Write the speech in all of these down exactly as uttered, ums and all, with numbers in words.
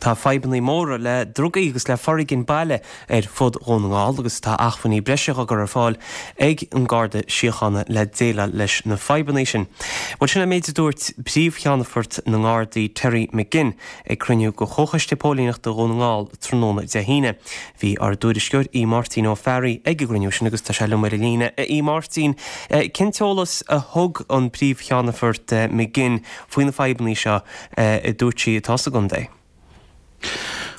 Tá fadhbanna móra le drugaí agus le foréigean baile ar fud Dhún na nGall agus tá acmhainní breise á gcur ar fáil ag an Garda Síochána le déileáil leis na fadhbanna sin. Bhuel sin an méid a dúirt Príomh-Cheannfort na nGardaí Terry McGinn ag cruinniú de Chomhchoiste Póilíneachta Dhún na nGall tráthnóna Dé hAoine. Bhí ár dtuairisceoir Aodh Máirtín Ó Fearraigh ag an gcruinniú sin agus tá sé liom ar an líne. Aodh Máirtín, cén t-eolas a thug an Príomh-Cheannfort McGinn faoi na fadhbanna seo a dúirt sí atá sa gcontae.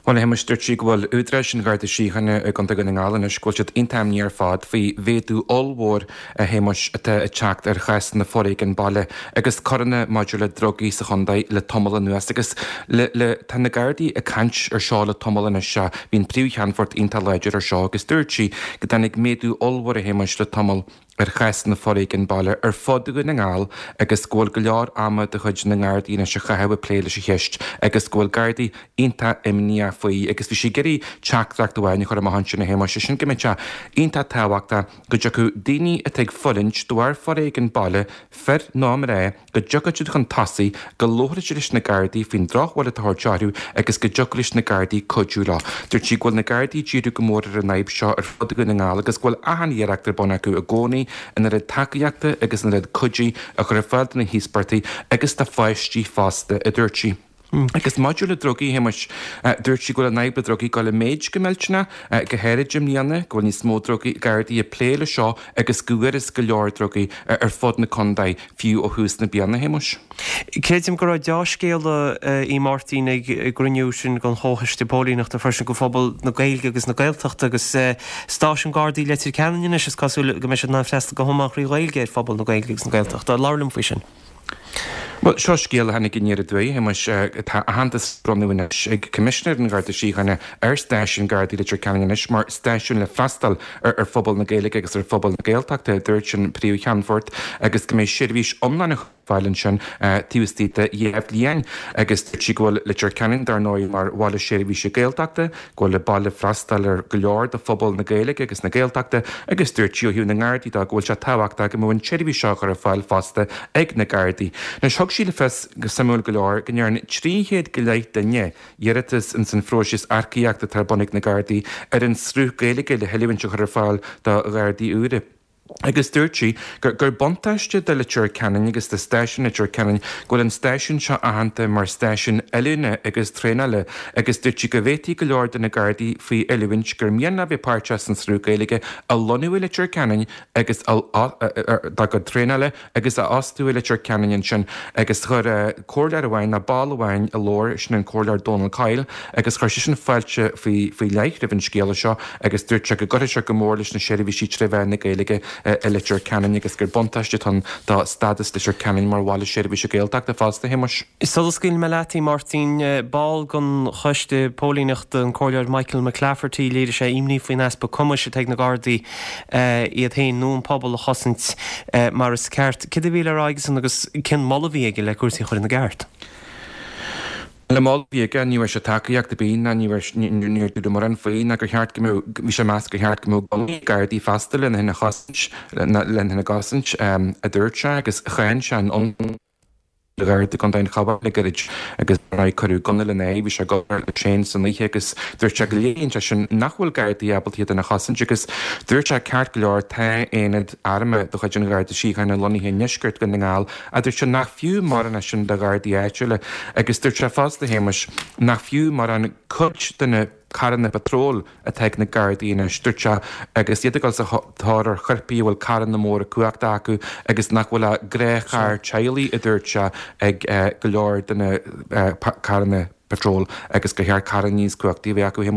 Bhuel a Shéamais dúirt sí go bhfuil údaráis an Gharda Síochána i gContae Dhún na nGall anois go bhfuil siad iontach imníoch ar fad faoi mhéadú ollmhór a Shéamais atá ag teacht ar chásanna foréigean baile agus coireanna maidir le drugaí sa chontae le tamall anuas agus le le tá na Gardaí ag caint ar seo le tamall anois seo bhí an príomh-cheannfort iontach láidir ar seo agus dúirt sí go dtáinig méadú ollmhór a Shéamais le tamall ar chásanna foréigean baile ar fud Dhún na nGall agus go bhfuil go leor ama de chuid na nGardaí anois á chaitheamh ag plé leis an cheist agus go bhfuil Gardaí iontach imníoch faoi agus bhí sí ag iarraidh teachtaireacht amháin a chur amach ansin a Shéamais sin go mbeadh sé iontach tábhachtach go dtiocfadh daoine atá ag fulaingt de bharr foréigean baile fir nó mná go dtiocfadh siad chun tosaigh go labhródh siad leis na Gardaí faoin drochbhail atá á thabhairt orthu agus go dtiocfadh leis na Gardaí cuidiú leo. Dúirt sí go bhfuil na Gardaí ag díriú go mór ar an fhadhb seo ar fud Dhún na nGall agus go bhfuil achan iarracht ar bun acu i gcónaí an oiread tacaíochta agus an oiread cuidí a chur ar fáil do na híospartaigh agus do pháistí fosta, a dúirt sí. Agus maidir le drugaí a Shéamais, dúirt sí go bhfuil an fhadhb le drugaí ag dul i méid go millteanach, go háirid i mbliana, go bhfuil níos mó drugaí, Gardaí ag plé le seo agus go bhfuarthas go leor drugaí ar fud na contae fiú ó thús na bliana, a Shéamais. Creidim go raibh deá-scéala Aodh Máirtín ag an gcruinniú sin den Chomhchoiste Póilíneachta freisin do phobal na Gaeilge agus na Gaeltachta agus stáisiún Gardaí Leitir Ceanainn anois is cosúil go mbeidh siad in ann freastal go hiomlán trí Ghaeilge ar phobal na Gaeilge agus na Gaeltachta. Labhair liom faoi sin. Bhuel, seo scéal a tháinig aniar aduaidh, a Shéamais. Tá aitheantas á bhronnadh anois ag Coimisinéir an Gharda Síochána ar Stáisiún Gardaí Leitir Ceanainn anois mar stáisiún le freastal ar phobal na Gaeilge agus ar phobal na Gaeltachta, a dúirt an Príomh-Cheannfort, agus go mbeidh seirbhís iomlán á fáil ansin taobh istigh de dheich bhliain. Agus dúirt sí go bhfuil Leitir Ceanainn, dar ndóigh, mar bhaile seirbhíse Gaeltachta, go bhfuil an baile ag freastal ar go leor de phobal na Gaeilge agus na Gaeltachta agus dúirt sí ó thaobh na nGardaí de go bhfuil sé tábhachtach go mbeadh an tseirbhís seo á chur ar fáil fosta ag na Gardaí. Anois thug sí le fios, go suimiúil go leor, go ndearna trí chéad go leith duine iarratas ins an phróiseas earcaíochta atá ar bun ag na Gardaí ar an sruth Gaeilge le hoiliúint a chur ar fáil do Ghardaí úra. Agus dúirt sí gur gur buntáiste do Leitir Ceanainn agus do stáisiún Leitir Ceanainn go bhfuil an stáisiún seo aitheanta mar stáisiún oiliúna agus traenála agus dúirt sí go bhféadfaí go leor de na Gardaí faoi oiliúint gur mian leo bheith páirteach san sruth Gaeilge a lonnú i Leitir Ceanainn agus dá gcuid traenála agus a fhostú i Leitir Ceanainn ansin agus chuir comhairleoir amháin nó ball amháin a labhair, sin an Comhairleoir Dónal Coyle agus chuir seisean fáilte faoi faoi leith roimh an scéala seo agus dúirt sé go gcuirfidh sé go mór leis na seirbhísí tré mheán na Gaeilge i Leitir Ceanainn agus gur buntáiste atá ann do stádas Leitir Ceanainn mar bhaile seirbhíse Gaeltachta fosta, a Shéamais. Sula scaoilfidh mé leat, a Mháirtín, ball den Choiste Póilíneachta, an Comhairleoir Michael McClafferty, léirigh sé imní faoin easpa cumais atá ag na Gardaí iad féin nó an pobal a chosaint mar is ceart. Céard a bhí le rá aigesan agus cén moladh a bhí aige le cúrsaí a chur ina gceart? An moladh a bhí aige, ní raibh sé tacaíocht ar bith ná ní raibh, níor dúradh mórán faoi ná gur cheart go mbeadh, bhí sé ag meas gur cheart go mbeadh gunnaí ag Gardaí fosta lena féin a chosaint, lena féin a gcosaint, a dúirt sé agus cháin sé an ionsaí ar Gharda i gContae an Chabháin le gairid agus dar ndóigh cuireadh gunna lena aghaidh, bhí sé ag obair leis féin san oíche agus dúirt sé go léiríonn sé sin nach bhfuil Gardaí ábalta iad féin a chosaint agus dúirt sé ceart go leor tá aonad armtha de chuid an Gharda Síochána lonnaithe i ndeisceart Dhún na nGall ach dúirt sé nach fiú mórán é sin do Ghardaí áitiúla agus dúirt sé fosta a Shéamais nach fiú mórán cuid de na carranna patróil atá ag na Gardaí anois, dúirt sé, agus iad ag dul sa tóir ar choirpigh a bhfuil carranna móra cumhachta acu agus nach bhfuil ach gnáthcharr teaghlaigh, a dúirt sé, ag go leor de na carranna patróil agus gur cheart carranna níos cumhachtaí a bheith acu, a Shéamais.